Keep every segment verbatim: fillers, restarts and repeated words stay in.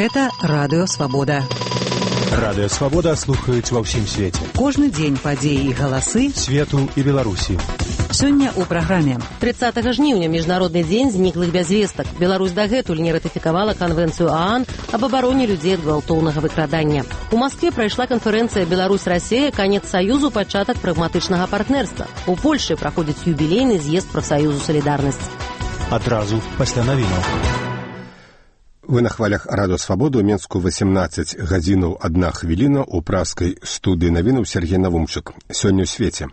Гэта Радыё Свабода. Радыё Свабода слухаюць ва ўсім свеце. Кожны дзень падзеі і галасы свету і Беларусі. Сёння ў праграме. тридцатага жніўня міжнародны дзень зніклых без вестак. Беларусь дагэтуль не ратыфікавала канвенцыю ААН аб абароне людзей ад гвалтоўнага выкрадання. У Маскве прайшла канферэнцыя Беларусь-Расія, канец саюзу, пачатак прагматычнага партнерства. У Польшы праходзіць юбілейны з'езд прафсаюзу «Салідарнасць». Адразу пасля навінаў. Вы на хвалях Радыё Свабода, у Менску восемнадцать гадзінаў адна хвіліна, у праскай студыі навінаў Сергей Навумчык. Сёння ў свеце.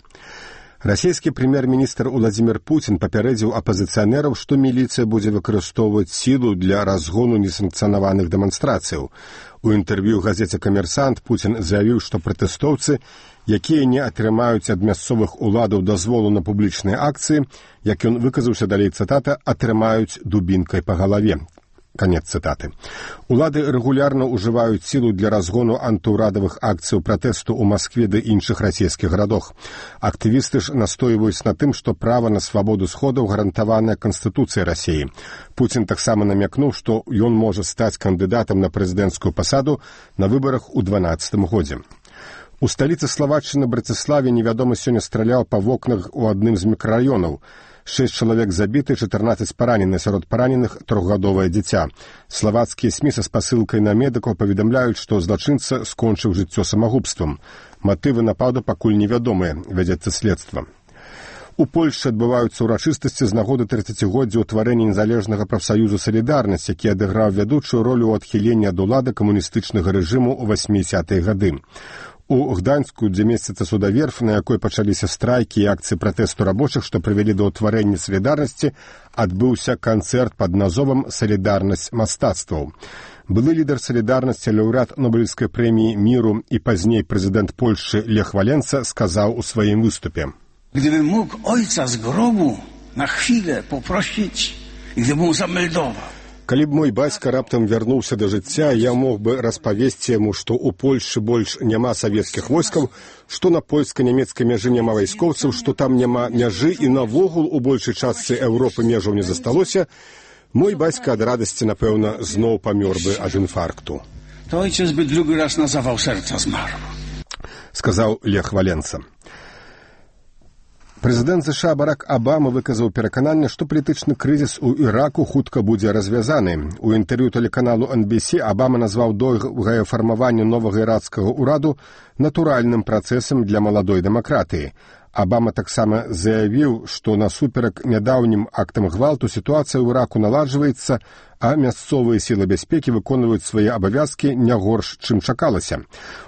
Расійскі прэм'ер-міністр Уладзімір Пуцін папярэдзіў апазіцыянераў, што міліцыя будзе выкарыстоўваць сілу для разгону несанкцыянаваных дэманстрацыяў. У інтэрв'ю газеце «Камерсант» Пуцін заявіў, што пратэстоўцы, якія не атрымаюць ад мясцовых уладаў дазволу на публічныя акцыі, як ён выказаўся, далей цытата, атрымаюць дубінкай па галаве. Канец цытаты. Улады рэгулярна ўжываюць сілу для разгону антыўрадавых акцыяў пратэсту ў Маскве ды іншых расійскіх гарадах. Актывісты ж настойваюць на тым, што права на свабоду сходаў гарантаванае Канстытуцыяй Расіі. Пуцін таксама намякнуў, што ён можа стаць кандыдатам на прэзідэнцкую пасаду на выбарах у дванаццатым годзе. У сталіцы Славаччыны Браціславе невядомы сёння страляў па вокнах у адным з мікрараёнаў. Шэсць чалавек забіты, чатырнаццаць паранены, сярод параненых трохгадовае дзіця. Славацкія СМІ са спасылкай на медыкаў паведамляюць, што злачынца скончыў жыццё самагубствам. Матывы нападу пакуль невядомыя, вядзецца следства. У Польшчы адбываюцца ўрачыстасці з нагоды трыццацігоддзя ўтварэння незалежнага прафсаюзу «Салідарнасць», які адыграў вядучую ролю ў адхіленні ад улады камуністычнага рэжыму ў васьмідзясятыя гады. У Гданьску, дзе месціцца судаверф, на якой пачаліся страйкі і акцыі пратэсту рабочых, што прывялі да ўтварэння «Салідарнасці», адбыўся канцэрт пад назовам «Салідарнасць мастацтваў». Былы лідар «Салідарнасці», лаўрэат Нобелевскай прэміі міру і пазней прэзідэнт Польшчы Лех Валенца сказаў у сваім выступе: «Gdybym mógł ojca z grobu na chwilę poprosić i gdyby mu zameldował. Калі б мой бацька раптам вярнуўся да жыцця, я мог бы распавесці яму, што ў Польшы больш няма савецкіх войскаў, што на польска-нямецкай мяжы няма вайскоўцаў, што там няма мяжы і навогул у большай частцы Еўропы межаў не засталося, мой бацька ад радасці, напэўна, зноў памёр бы ад інфаркту». To ojciec by drugi raz na zawał serca zmarł. Сказаў Лех Валенца. Прэзідэнт ЗША Барак Абама выказаў перакананне, што палітычны крызіс у Іраку хутка будзе развязаны. У інтэрв'ю тэлеканалу эн би си Абама назваў доўгае фармаванне новага ірацкага ўраду натуральным працэсам для маладой дэмакратыі. Абама таксама заявіў, што насуперак нядаўнім актам гвалту сітуацыя ў Іраку наладжваецца, а мясцовыя сілы бяспекі выконваюць свае абавязкі не горш, чым чакалася.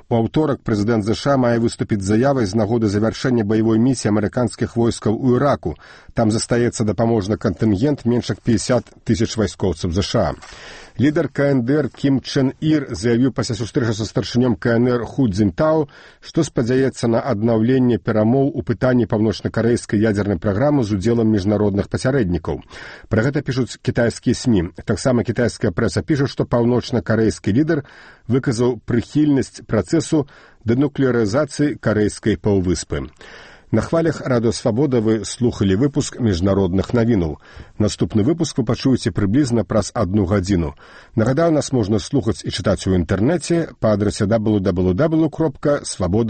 У аўторак прэзідэнт ЗША мае выступіць з заявай з нагоды завяршэння баявой місіі амерыканскіх войскаў у Іраку. Там застаецца дапаможны кантынгент менш як пятьдесят тысяч вайскоўцаў ЗША. Лідар ка эн дэ эр Кім Чен Ір заявіў пасля сустрэчы са старшынём ка эн эр Ху Цзінтао, што спадзяецца на аднаўленне перамоў у пытанні паўночна-карэйскай ядзернай праграмы з удзелам міжнародных пасярэднікаў. Пра гэта пішуць кітайскія СМІ. Таксама кітайская прэса піша, што паўночна-карэйскі лідар выказаў прыхільнасць працэсу дэнуклеарызацыі карэйскай паўвыспы. На хвалях Радыё Свабода вы слухалі выпуск міжнародных навінаў. Наступны выпуск вы пачуеце прыблізна праз адну гадзіну. Нагадаю, нас можна слухаць і чытаць у інтэрнэце па адрасе дабл ю дабл ю дабл ю кропка свабода